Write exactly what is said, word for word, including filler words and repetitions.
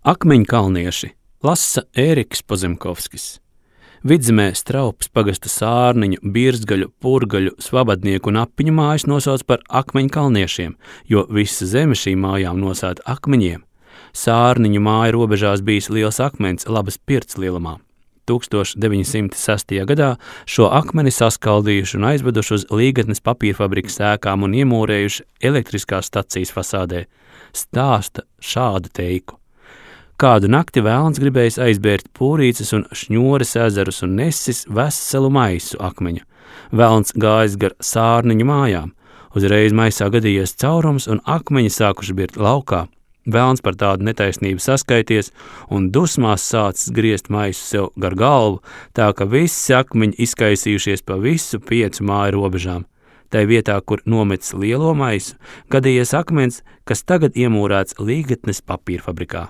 Akmeņkalnieši lasa Ēriks Pozemkovskis. Vidzemē Straupes pagasta Sārniņu, Birzgaļu, Purgaļu, Svabadnieku un Apiņu mājas nosauc par akmeņkalniešiem, jo visa zeme šīm mājām nosēta akmeņiem. Sārniņu māja robežās bijis liels akmens Labas Pirts lielumā. tūkstoš deviņi simti sestajā gadā šo akmeni saskaldījuši un aizveduši uz Līgatnes papīrfabrikas ēkām un iemūrējuši elektriskās stacijas fasādē. Stāsta šādu teiku. Kādu nakti velns gribējis aizbērt Pūrīces un Šņores ezerus un nesis veselu maisu akmeņu. Velns gājis gar Sārniņu mājām. Uzreiz maisā gadījies caurums un akmeņi sākuši birt laukā. Velns par tādu netaisnību saskaities un dusmās sācis griezt maisu sev gar galvu, tā ka visi akmeņi izkaisījušies pa visu piecu māju robežām. Tai vietā, kur nometis lielo maisu, gadījies akmens, kas tagad iemūrēts Līgatnes papīrfabrikā.